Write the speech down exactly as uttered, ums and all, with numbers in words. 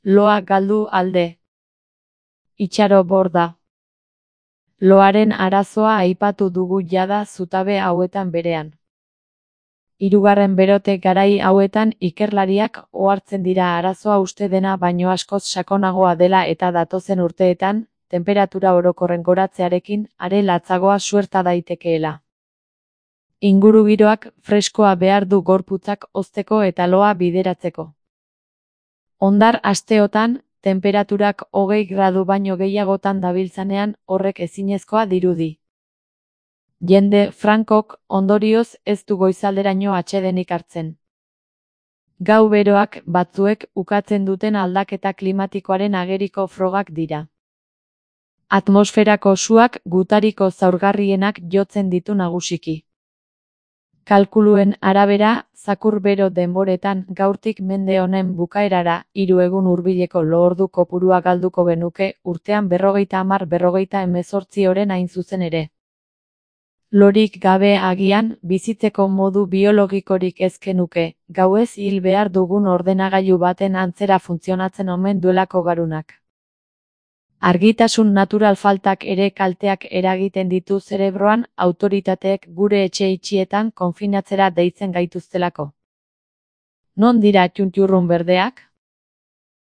Loa galdu alde. Itxaro borda. Loaren arazoa aipatu dugu jada zutabe hauetan berean. Hirugarren berote garai hauetan ikerlariak ohartzen dira arazoa uste dena baino askoz sakonagoa dela eta datozen urteetan, tenperatura orokorren goratzearekin are latzagoa suerta daitekeela. Ingurugiroak freskoa behar du gorputzak hozteko eta loa bideratzeko. Hondar asteotan, tenperaturak hogei gradu baino gehiagotan dabiltzanean horrek ezinezkoa dirudi. Jende frankok, ondorioz, ez du goizalderaino atsedenik hartzen. Gau beroak batzuek ukatzen duten aldaketa klimatikoaren ageriko frogak dira. Atmosferako suak gutariko zaurgarrienak jotzen ditu nagusiki. Kalkuluen arabera, zakur bero denboretan gaurtik mende honen bukaerara hiru egun hurbileko lo-ordu kopurua galduko genuke urtean berrogeita hamar berrogeita hemezortzi oren hain zuzen ere. Lorik gabe agian, bizitzeko modu biologikorik ez genuke, gauez hil behar dugun ordenagailu baten antzera funtzionatzen omen duelako garunak. Argitasun natural faltak ere kalteak eragiten ditu zerebroan, autoritateek gure etxe itxietan konfinatzera deitzen gaituztelako. Non dira txuntxurrun berdeak?